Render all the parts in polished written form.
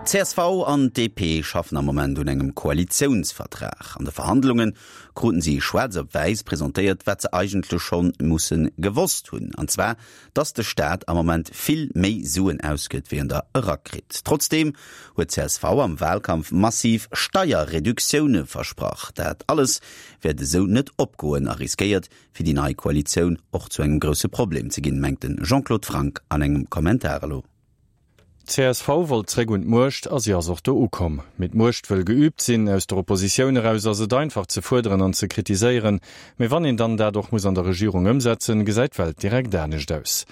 D'CSV an d'DP schaffen am Moment un engem Koalitiounsvertrag. An de Verhandlunge kruten si schwaarz op wäiss presentéiert, wat se eigentlech schonn musse gewosst hunn, an zwar, datt de Staat am Moment vill méi Suen ausgëtt, wéi en der erakritt. Trotzdeem huet d'CSV am Walkampf massiv Steierreduktioune versprach. Dat alles wäert esou net opgoen a riskéiert, fir déi nei Koalitioun och zu engem grousse Problem ze ginn, mengt de Jean-Claude Franck an engem Kommentar elo. D'CSV wollt zréck un d'Muecht a si ass och do ukomm. Mee d'Muecht wëll geüübt sinn. Aus der Oppositioun eraus ass et einfach ze fuerderen an ze kritiséieren, mee wann een dann dat och muss an der Regierung ëmsetzen, gesäit d'Welt direkt anescht aus.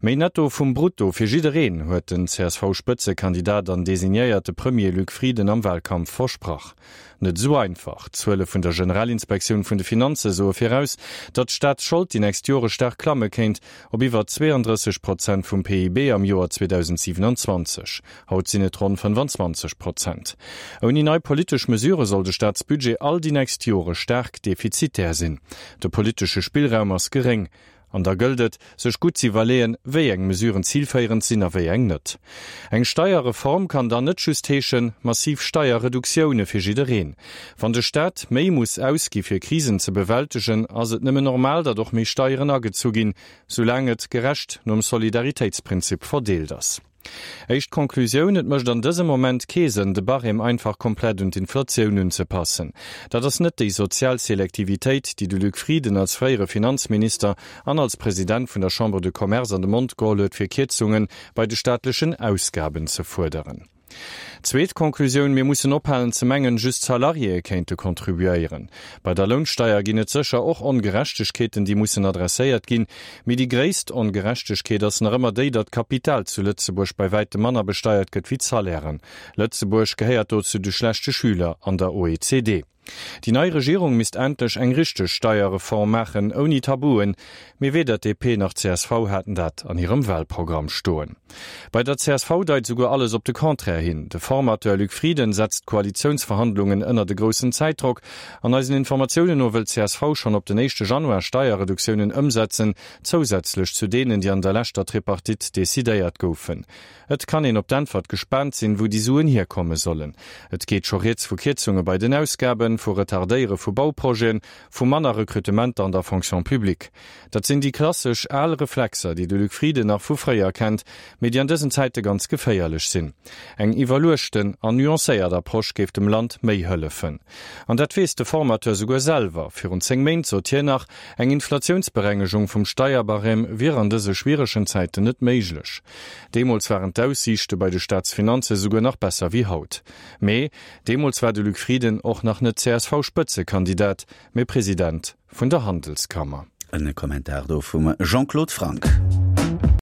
Méi Netto vum Brutto fir jiddereen, huet den CSV-Spëtzekandidat an designéierte Premier Luc Frieden am Wahlkampf versprach. Net esou einfach. D'Zuele vun der Generalinspektioun vun de Finanze soe viraus, datt d'Staatsschold déi nächst Jore staark klamme kéint, op iwwer 32 Prozent vum PIB am Joer 2027. Haut sinn et ronn 25 Prozent. Ouni nei politesch Mesure soll de Staatsbudget all déi nächst Jore staark defizitär sinn. De politesche Spillraum ass geréng. An da gëllt et, sech gutt z'iwwerleeën, wéi eng Mesuren zilféierend sinn a wéi eng net. Eng Steierreform kann dann net just heeschen, massiv Steierreduktioune fir jiddereen. Wann de Staat méi muss ausgi fir Krisen ze bewältegen, ass et nëmmen normal, datt och méi Steieren agezu ginn, soulaang et gerecht nom Solidaritéitsprinzip verdeelt ass. Éischt Conclusioun, Et mécht an dësem Moment kee Sënn, de Barème einfach komplett un d'Inflatioun unzepassen. Dat ass net déi sozial Selektivitéit, déi de Luc Frieden als fréiere Finanzminister an als President vun der Chambre de Commerce an de Mond geholl huet, fir Kierzunge bei de staatlechen Ausgaben ze fuerderen. Zweet Conclusioun, Mir mussen ophalen ze mengen, just d'Salariéë kéinte contribuéieren. Bei der Lounsteier ginn et sécher och Ongerechtegkeeten, déi mussen adresséiert ginn. Mee déi gréisst Ongerechtegkeet ass nach ëmmer déi, datt d'Kapital zu Lëtzebuerg bei wäitem manner besteiert gëtt wéi d'Salairen. Lëtzebuerg gehéiert do zu de schlechte Schüler an der OECD. Déi nei Regierung misst endlech eng richteg Steierreform maachen, ouni Tabuen. Mee weder d'DP nach d'CSV haten dat an hirem Wahlprogramm stoen. Bei der csv deit souguer alles op de Contraire hin. De Formateur Luc Frieden setzt d'Koalitiounsverhandlungen ënnert e groussen Zäitdrock. An eisen Informatiounen no wëll d'CSV schonn op den éischte Januar Steierreduktiounen ëmsetzen, zousätzlech zu deenen, déi an der leschter Tripartite decidéiert goufen. Et kann een op d'Äntwert gespaant sinn, wou déi Suen hierkomme sollen. Et geet scho rieds vu Kierzunge bei den Ausgaben, vu Retardéiere vu Bauprojeten, vu manner Recrutementer an der Fonction publique. Dat sinn déi klassesch al Reflexer, déi de Luc Frieden nach vu fréier kennt, mee déi an dësen Zäite ganz geféierlech sinn. Eng iwwerluechten an nuancéiert Approche géif dem Land méi hëllefen. An dat weess de Formateur souguer selwer. Virun 10 Méint sot hien nach, eng Inflatiounsberengegung vum Steierbarème wier an dëse schwieregen Zäiten net méiglech. Deemools waren d'Aussiichte bei de Staatsfinanze souguer nach besser wéi haut. Mee deemools war de Luc Frieden och nach net CSV-Spëtzekandidat, mee President vun der Handelskammer. En Kommentar do vum Jean-Claude Franck.